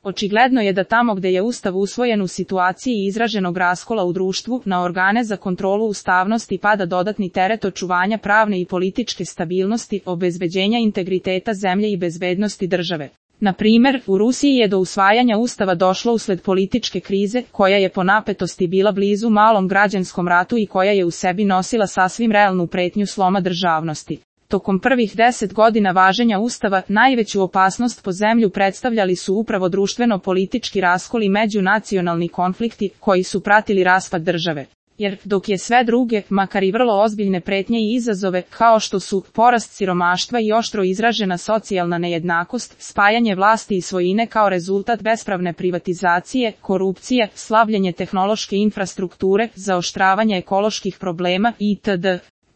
Očigledno je da tamo gde je Ustav usvojen u situaciji izraženog raskola u društvu, na organe za kontrolu ustavnosti pada dodatni teret očuvanja pravne i političke stabilnosti, obezbeđenja integriteta zemlje i bezbednosti države. Na primer, u Rusiji je do usvajanja Ustava došlo usled političke krize, koja je po napetosti bila blizu malom građanskom ratu i koja je u sebi nosila sasvim realnu pretnju sloma državnosti. Tokom prvih 10 godina važenja Ustava, najveću opasnost po zemlju predstavljali su upravo društveno-politički raskol i međunacionalni konflikti, koji su pratili raspad države. Jer, dok je sve druge, makar i vrlo ozbiljne pretnje i izazove, kao što su porast siromaštva i oštro izražena socijalna nejednakost, spajanje vlasti i svojine kao rezultat bespravne privatizacije, korupcije, slabljenje tehnološke infrastrukture, zaoštravanje ekoloških problema itd.,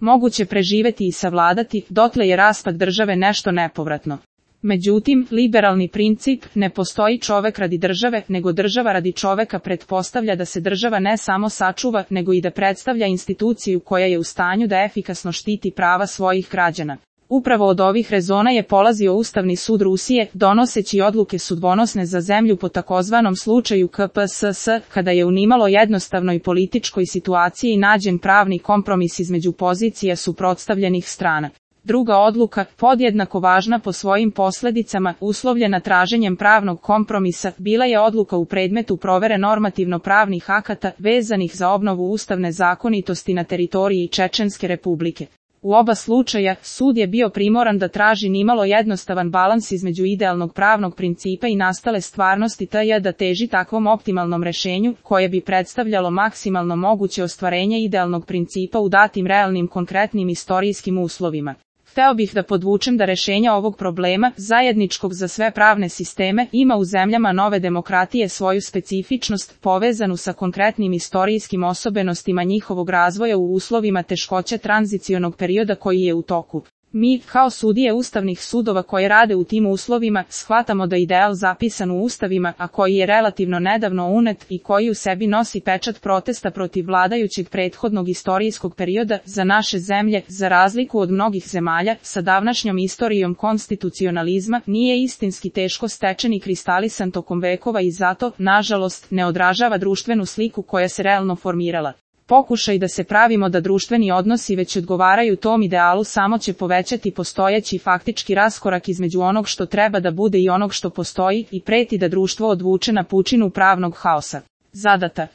moguće preživeti i savladati, dotle je raspad države nešto nepovratno. Međutim, liberalni princip, ne postoji čovek radi države, nego država radi čoveka, pretpostavlja da se država ne samo sačuva, nego i da predstavlja instituciju koja je u stanju da efikasno štiti prava svojih građana. Upravo od ovih rezona je polazio Ustavni sud Rusije, donoseći odluke sudbonosne za zemlju po takozvanom slučaju KPSS, kada je u nimalo jednostavnoj političkoj situaciji nađen pravni kompromis između pozicija suprotstavljenih strana. Druga odluka, podjednako važna po svojim posledicama, uslovljena traženjem pravnog kompromisa, bila je odluka u predmetu provere normativno-pravnih akata vezanih za obnovu ustavne zakonitosti na teritoriji Čečenske Republike. U oba slučaja, sud je bio primoran da traži nimalo jednostavan balans između idealnog pravnog principa i nastale stvarnosti te da teži takvom optimalnom rešenju, koje bi predstavljalo maksimalno moguće ostvarenje idealnog principa u datim realnim konkretnim istorijskim uslovima. Hteo bih da podvučem da rešenja ovog problema, zajedničkog za sve pravne sisteme, ima u zemljama nove demokratije svoju specifičnost, povezanu sa konkretnim istorijskim osobenostima njihovog razvoja u uslovima teškoće tranzicionog perioda koji je u toku. Mi, kao sudije ustavnih sudova koje rade u tim uslovima, shvatamo da ideal zapisan u ustavima, a koji je relativno nedavno unet i koji u sebi nosi pečat protesta protiv vladajućeg prethodnog istorijskog perioda, za naše zemlje, za razliku od mnogih zemalja, sa davnašnjom istorijom konstitucionalizma, nije istinski teško stečen i kristalisan tokom vekova i zato, nažalost, ne odražava društvenu sliku koja se realno formirala. Pokušaj da se pravimo da društveni odnosi već odgovaraju tom idealu samo će povećati postojeći faktički raskorak između onog što treba da bude i onog što postoji i preti da društvo odvuče na pučinu pravnog haosa. Zadata